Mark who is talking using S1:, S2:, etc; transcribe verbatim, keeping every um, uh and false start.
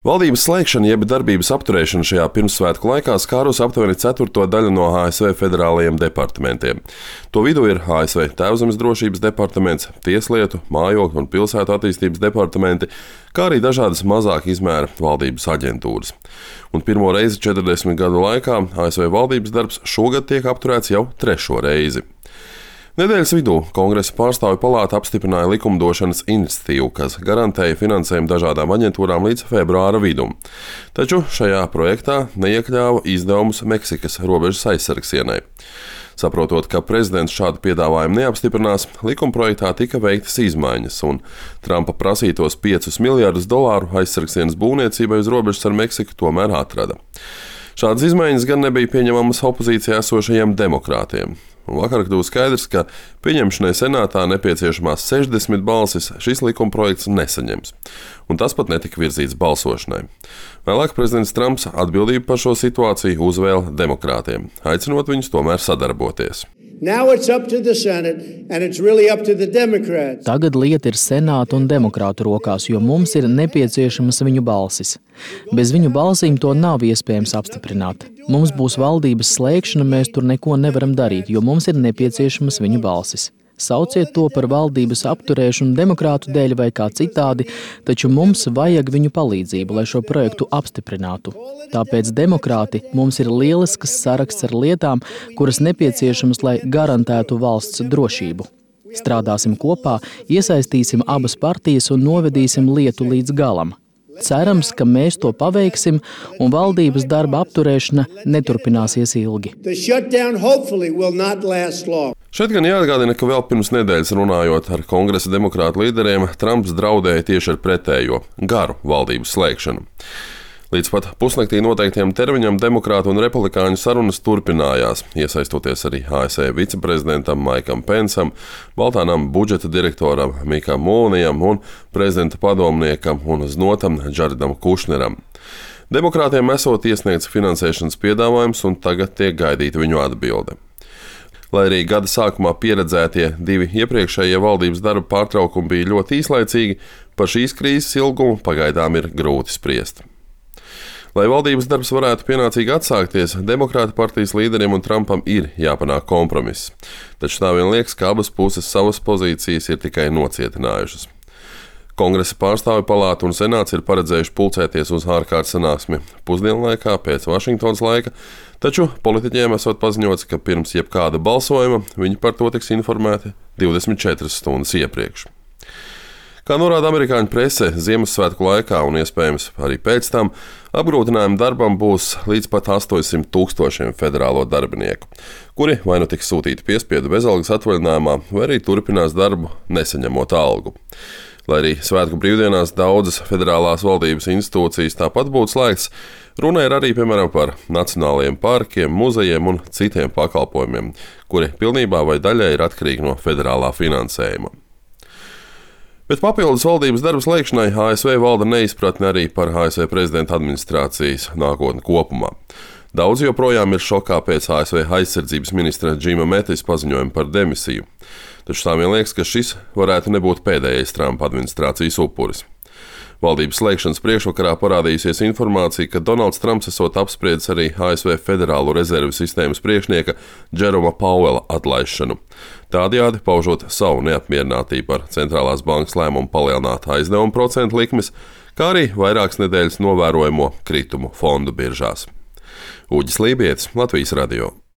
S1: Valdības slēgšana jeb darbības apturēšana šajā pirmssvētku laikā skārus aptuveni ceturto daļu no A S V federālajiem departamentiem. To vidū ir A S V Tēvzemes drošības departaments, Tieslietu, Mājokļu un pilsētu attīstības departamenti, kā arī dažādas mazāka izmēra valdības aģentūras. Un pirmo reizi četrdesmit gadu laikā A S V valdības darbs šogad tiek apturēts jau trešo reizi. Nedēļas vidū Kongresa pārstāvju palāta apstiprināja likumdošanas iniciatīvu, kas garantēja finansējumu dažādām aģentūrām līdz februāra vidum. Taču šajā projektā neiekļāva izdevumus Meksikas robežas aizsargsienai. Saprotot, ka prezidents šādu piedāvājumu neapstiprinās, likumprojektā tika veiktas izmaiņas, un Trumpa prasītos piecus miljardus dolāru aizsargsienas būvniecībai uz robežas ar Meksiku tomēr atrada. Šādas izmaiņas gan nebija pieņemamas opozīcijā esošajiem demokrātiem. Un vakar kļuva skaidrs, ka pieņemšanai senātā nepieciešamās sešdesmit balsis šis likumprojekts nesaņems, un tas pat netika virzīts balsošanai. Vēlāk prezidents Trumps atbildību par šo situāciju uzvēla demokrātiem, aicinot viņus tomēr sadarboties.
S2: Really Tagad lieta ir senāta un demokrātu rokās, jo mums ir nepieciešamas viņu balsis. Bez viņu balsīm to nav iespējams apstiprināt. Mums būs valdības slēgšana, mēs tur neko nevaram darīt, jo mums ir nepieciešamas viņu balsis. Sauciet to par valdības apturēšanu demokrātu dēļ vai kā citādi, taču mums vajag viņu palīdzību, lai šo projektu apstiprinātu. Tāpēc demokrāti mums ir lielisks saraksts ar lietām, kuras nepieciešamas, lai garantētu valsts drošību. Strādāsim kopā, iesaistīsim abas partijas un novedīsim lietu līdz galam. Cerams, ka mēs to paveiksim un valdības darba apturēšana neturpināsies ilgi.
S1: Šeit gan jāatgādina, ka vēl pirms nedēļas runājot ar Kongresa demokrātu līderiem, Trumps draudēja tieši ar pretējo – garu valdības slēgšanu. Līdz pat pusnaktī noteiktiem termiņam demokrātu un republikāņu sarunas turpinājās, iesaistoties arī A S V viceprezidentam Maikam Pensam, Baltā nama budžeta direktoram Mikam Mulvanijam un prezidenta padomniekam un znotam Džaredam Kušneram. Demokrātiem esot iesniegts finansēšanas piedāvājums un tagad tiek gaidīta viņu atbilde. Lai arī gada sākumā pieredzētie divi iepriekšējie valdības darba pārtraukumi bija ļoti īslaicīgi, par šīs krīzes ilgumu pagaidām ir grūti spriest. Lai valdības darbs varētu pienācīgi atsākties, demokrāta partijas līderiem un Trumpam ir jāpanāk kompromiss. Taču tā vien liekas, ka abas puses savas pozīcijas ir tikai nocietinājušas. Kongresa pārstāvju palāta un senāts ir paredzējuši pulcēties uz ārkārtas sanāksmi pusdienlaikā pēc Vašingtonas laika, taču politiķiem esot paziņots, ka pirms jebkāda balsojuma viņi par to tiks informēti divdesmit četras stundas iepriekš. Kā norāda amerikāņu prese, Ziemassvētku laikā un iespējams arī pēc tam apgrūtinājumi darbam būs līdz pat astoņsimt tūkstošiem federālo darbinieku, kuri vai nu tiks sūtīti piespiedu bezalgas atvaļinājumā, vai arī turpinās darbu nesaņemot algu. Lai arī svētku brīvdienās daudzas federālās valdības institūcijas tāpat būtu slēgts, runa ir arī, piemēram, par nacionālajiem parkiem, muzejiem un citiem pakalpojumiem, kuri pilnībā vai daļai ir atkarīgi no federālā finansējuma. Bet papildus valdības darba slēgšanai A S V valda neizpratne arī par A S V prezidenta administrācijas nākotni kopumā. Daudz joprojām ir šokā pēc A S V aizsardzības ministra Džima Metis paziņojuma par demisiju. Taču tā vien liekas, ka šis varētu nebūt pēdējais Trumpa administrācijas upuris. Valdības slēgšanas priekšvakarā parādījusies informācija, ka Donalds Trumps esot apspriedis arī A S V Federālo rezervu sistēmas priekšnieka Jeroma Pauela atlaišanu. Tādējādi paužot savu neapmierinātību ar centrālās bankas lēmumu palielināt aizdevumu procentu likmes, kā arī vairākas nedēļas novērojamo kritumu fondu biržās. Uģis Lībietis, Latvijas radio.